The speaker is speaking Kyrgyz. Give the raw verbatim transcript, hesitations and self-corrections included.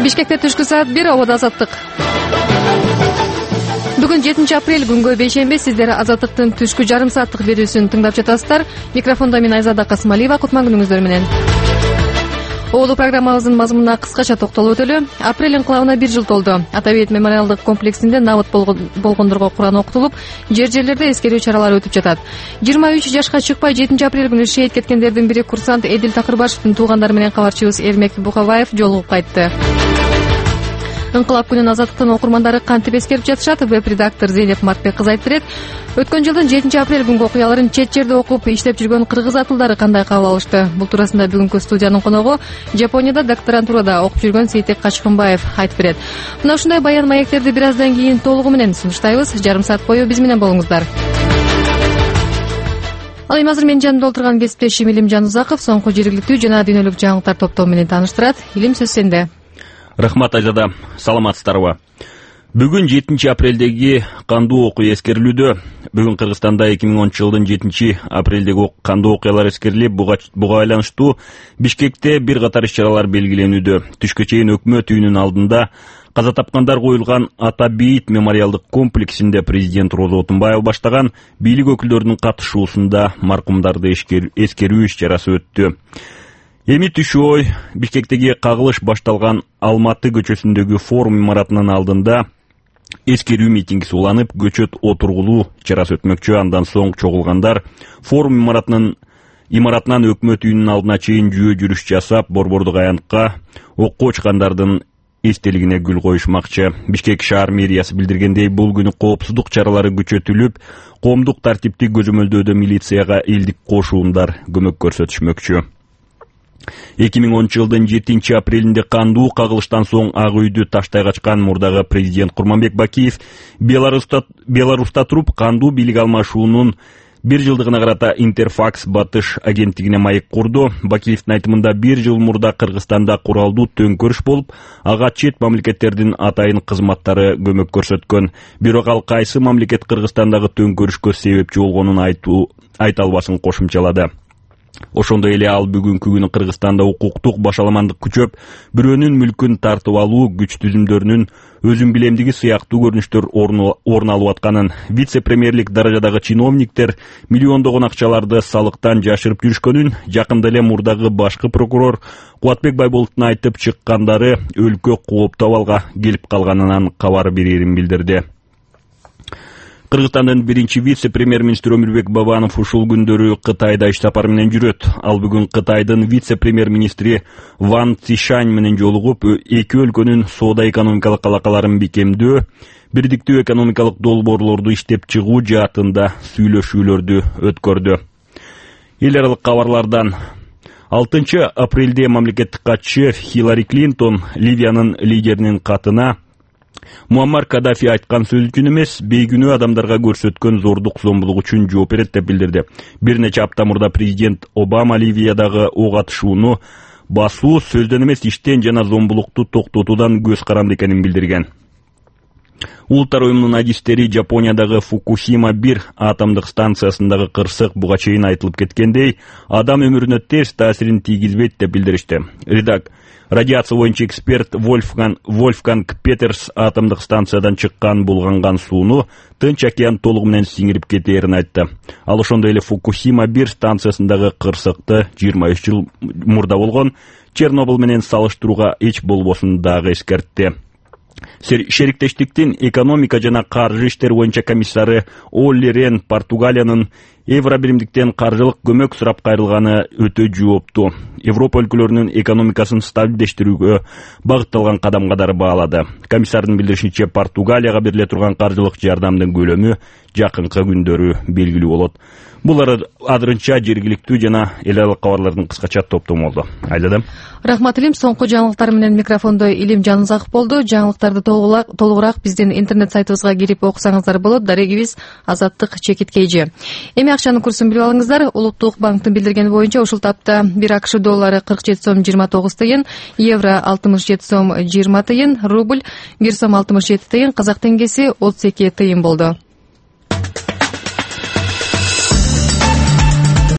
Бишкекте түшкү саат бир, абада азаттык. Бүгүн жетинчи апрель, күнгө бейшемби. Сиздер Азаттыктын түшкү жарым сааттык берүүсүн тыңдап жатасыздар. Микрофондо мен Айзада Касымалиева. Кутман күнүңүздөр менен. Улуу программабыздын мазмунуна кыскача токтолуп өтөлү. Апрель инкылабына бир жыл толду. Атабейт мемориалдык комплексинде набыт болгондорго Куран окутулуп, жер жерлерде эскерүү чаралары өтүп жатат. жыйырма үч жашка чыкпай жетинчи апрель күнү шейит кеткендердин бири курсант Эдил Такырбашевдин туугандары менен кабарчыбыз Эрмек Бухабаев жолугуп кайтты. Инкылап күнүн Азаттыктын окурмандары кантип эскерип жатышат? Веб-редактор Зейнеп Мартбек кыз айтып берет. Өткөн жылдын жетинчи апрель күнгү окуяларын чет жерде окуп иштеп жүргөн кыргыз атылдары кандай кабыл алышты? Бул туурасында бүгүнкү студиянын коногу Жапонияда докторантурада окуп жүргөн Сейтек Качкынбаев айтып берет. Мына ушундай баян маектерди бир аздан кийин толугу менен сунуштайбыз. Жарым саат бою биз менен болуңуздар. Ал эми азыр менин жанымда отурган кесиптешим Илим Жанузаков соңку жергиликтүү жана дүйнөлүк жаңылыктар топтому менен тааныштырат. Илим, сөз сенде. Рахмат, Айзада. Саламатсыздарбы? Бүгүн жетинчи апрелдеги кандуу окуя эскерилүүдө. Бүгүн Кыргызстанда эки миң онунчу жылдын жетинчи апрелдеги кандуу окуялар эскерилип, буга байланыштуу Бишкекте бир катар иш-чаралар белгиленүүдө. Түшкө чейин өкмөт үйүнүн алдында каза тапкандар коюлган Атабейт мемориалдык комплексинде президент Роза Отунбаева баштаган бийлик өкүлдөрүнүн катышуусунда маркумдарды эскерүү иш-чарасы өттү. Эми түшү ой Бишкектеги кагылыш башталган Алматы көчөсүндөгү форум имаратынын алдында эскерүү митинги сууланып, көчөт отургулуу чарасы өтмөкчү. Андан соң чогулгандар форум имаратынын имаратынан өкмөт үйүнүн алдына чейин жөө жүрүш жасап, Борбордук аянтка окко учкандардын эстелигине гүл коюшмакчы. Бишкек шаар мэриясы билдиргендей, бул күнү коопсуздук чаралары күчөтүлүп, коомдук тартипти көзөмөлдөөдө милицияга элдик кошуундар көмөк көрсөтүшмөкчү. эки миң онунчу жылдын жетинчи апрелинде кандуу кагылыштан соң Ак үйдү таштай качкан мурдагы президент Курманбек Бакиев Беларуста Беларуста туруп кандуу бийлик алмашуунун бир жылдыгына карата Интерфакс Батыш агенттигине маек курду. Бакиевдин айтымында бир жыл мурда Кыргызстанда куралдуу төңкөрүш болуп, ага чет мамлекеттердин атайын кызматтары көмөк көрсөткөн. Бирок ал кайсы мамлекет Кыргызстандагы төңкөрүшкө себепчи болгонун айтуу айта албасын кошумчалады. Ошондой эле ал бүгүнкү күнү Кыргызстанда укуктук башаламандык күчөп, бирөөнүн мүлкүн тартып алуу, күч түзүмдөрүнүн өзүн билемдиги сыяктуу көрүнүштөр орун алып атканын, вице-премьерлик даражадагы чиновниктер миллиондогон акчаларды салыктан жашырып жүрүшкөнүн, жакында эле мурдагы башкы прокурор Кубатбек Байболоттун айтып чыккандары өлкө кооптуу абалга келип калганынан кабар берерин билдирди. Кыргызстандын биринчи вице-премьер-министри Өмүрбек Бабанов ушул күндөрү Кытайда иш сапары менен жүрөт. Ал бүгүн Кытайдын вице-премьер-министри Ван Цишань менен жолугуп, эки өлкөнүн соода-экономикалык алакаларын бекемдөө, бирдиктүү экономикалык долбоорлорду иштеп чыгуу жаатында сүйлөшүүлөрдү өткөрдү. Эл аралык кабарлардан алтынчы апрелде мамлекеттик катчы Хиллари Клинтон Ливиянын лидеринин катына Муаммар Каддафи айткан сөз үчүн эмес, бейгүнөө адамдарга көрсөткөн зордук зомбулук үчүн жооп берет деп билдирди. Бир нече апта мурда президент Обама Ливиядагы ок атышууну басуу, сөздөн эмес иштен жана зомбулукту токтотуудан көз каранды экенин билдирген. Улуттар уюмунун адистери Жапониядагы Фукусима бир атомдук станциясындагы кырсык буга чейин айтылып кеткендей, адам өмүрүнө терс таасирин тийгизбейт деп билдиришти. Редак Радиация боюнча эксперт Вольфган, Вольфганг Петерс атомдук станциядан чыккан булганган сууну Тынч океан толугу менен сиңирип кетээрин айтты. Ал ошондой эле Фукусима бир станциясындагы кырсыкты жыйырма үч жыл мурда болгон Чернобыль менен салыштырууга эч болбосун дагы эскертти. Шериктештиктин экономика жана каржы иштери боюнча комиссары Олли Рен Португалиянын Евробиримдиктен каржылык көмөк сурап кайрылганы өтө жооптуу. Европа өлкөлөрүнүн экономикасын стабилдештирүүгө багытталган кадам катары баалады. Комиссардын билдиришинче, Португалияга бериле турган каржылык жардамдын көлөмү жакынкы күндөрү белгилүү болот. Бул азырынча жергиликтүү жана эл аралык кабарлардын кыскача топтому болду. Айдадым. Рахмат, Илим. Соңку жаңылыктар менен микрофондо Илим Жанузаков болду. Жаңылыктарды толугураак биздин интернет сайтыбызга кирип окусаңыздар болот. Дарегибиз Азаттык чекит кейжи. Эми акчанын курсун билип алыңыздар. Улуттук банктын билдиргени боюнча ушул тапта бир АКШ доллары кырк жети сом жыйырма тогуз тыйын, евро алтымыш жети сом жыйырма тыйын, рубль бир сом алтымыш жети тыйын, казак теңгеси отуз эки тыйын болду.